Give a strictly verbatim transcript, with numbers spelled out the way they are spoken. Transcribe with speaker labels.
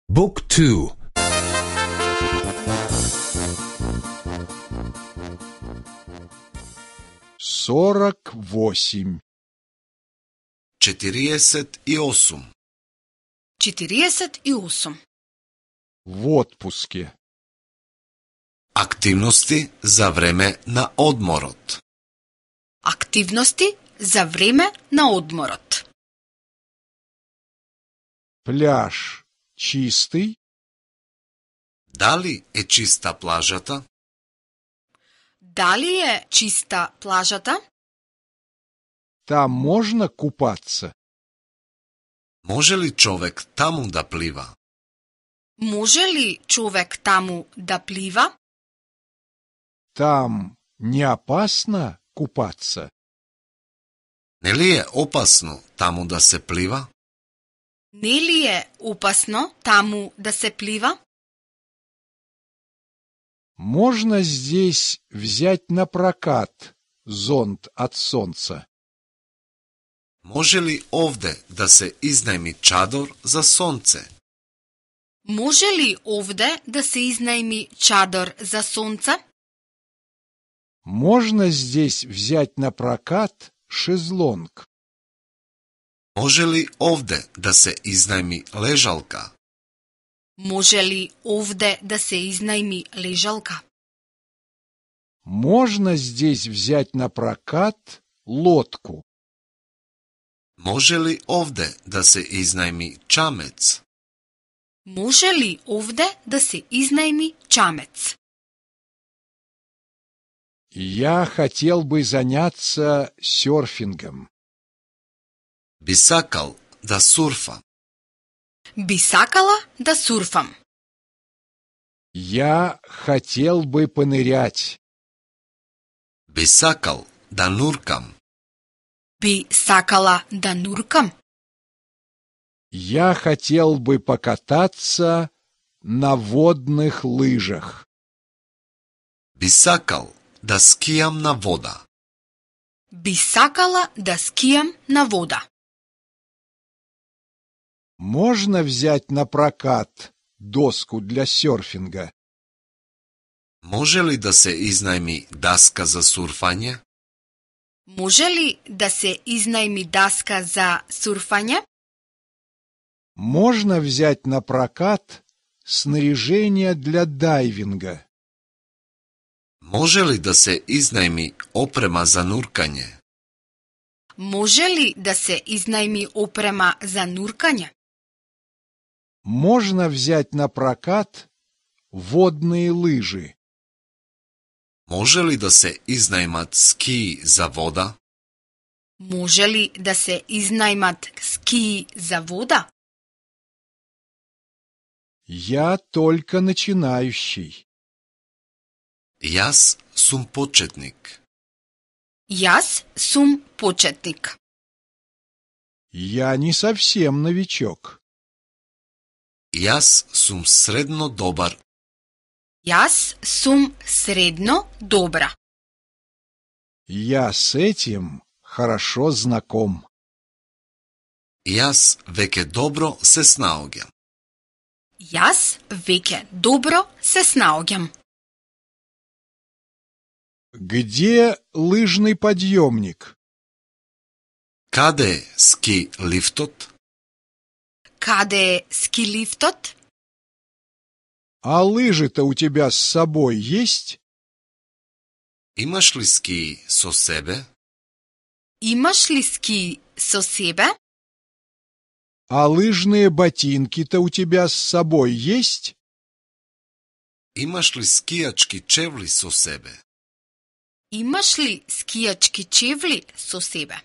Speaker 1: Book two.
Speaker 2: Сорок восемь.
Speaker 3: Четириесет и осум.
Speaker 4: Четириесет и осум.
Speaker 2: В отпуске.
Speaker 3: Активности за време на одморот.
Speaker 4: Активности за време на одморот.
Speaker 2: Пляж чистый?
Speaker 3: Дали е чиста плажата?
Speaker 4: Дали е чиста плажата?
Speaker 2: Там можно купаться?
Speaker 3: Може ли човек таму да плива?
Speaker 4: Може ли човек таму да плива?
Speaker 2: Там не опасно купаться?
Speaker 3: Нели е опасно таму да се плива?
Speaker 4: Нели е опасно таму да се плива?
Speaker 2: Можно здесь взять на прокат зонт от солнца?
Speaker 3: Може ли овде да се изнајми чадор за сонце?
Speaker 4: Може ли овде да се изнајми чадор за сонце?
Speaker 2: Можно здесь взять на прокат шезлонг?
Speaker 3: Може ли овде да се изнајми лежалка?
Speaker 4: Може ли овде да се изнајми лежалка?
Speaker 2: Можно здесь взять на прокат лодку?
Speaker 3: Може ли овде да се изнајми чамец?
Speaker 4: Може ли овде да се изнајми чамец?
Speaker 2: Я хотел бы заняться серфингом.
Speaker 3: Би сакал да сурфа.
Speaker 4: Би сакала да сурфам.
Speaker 2: Я хотел бы понырять.
Speaker 3: Би сакал да нуркам.
Speaker 4: Би сакала да нуркам.
Speaker 2: Я хотел бы покататься на водных лыжах.
Speaker 3: Би сакал да скијам на вода.
Speaker 4: Би сакала да скијам на вода.
Speaker 2: Можно взять на прокат доску для серфинга?
Speaker 3: Може ли да се изнајми даска за сурфање?
Speaker 4: Може ли да се изнајми даска за сурфање?
Speaker 2: Можно взять на прокат снаряжение для дайвинга?
Speaker 3: Може ли да се изнајми опрема за нуркање?
Speaker 4: Може ли да се изнајми опрема за нуркање?
Speaker 2: Можно взять на прокат водные лыжи?
Speaker 3: Може ли да се изнајмат скии за вода?
Speaker 4: Може ли да се изнајмат скии за вода?
Speaker 2: Я только начинающий.
Speaker 3: Јас сум почетник.
Speaker 4: Јас сум почетник.
Speaker 2: Я не совсем новичок.
Speaker 3: Јас сум средно добар.
Speaker 4: Јас сум средно добра.
Speaker 2: Я с этим хорошо знаком.
Speaker 3: Јас веќе добро се снаоѓам.
Speaker 4: Јас веќе добро се снаоѓам.
Speaker 2: Где лыжный подъемник?
Speaker 3: Каде е ски лифтот?
Speaker 4: Каде е ски лифтот?
Speaker 2: А лыжи-то у тебя с собой есть?
Speaker 3: Имаш ли ски со себе?
Speaker 4: Имаш ли ски со себе?
Speaker 2: А лыжные ботинки-то у тебя с собой есть?
Speaker 3: Имаш ли скијачки чевли со себе?
Speaker 4: Имаш ли скијачки чевли со себе?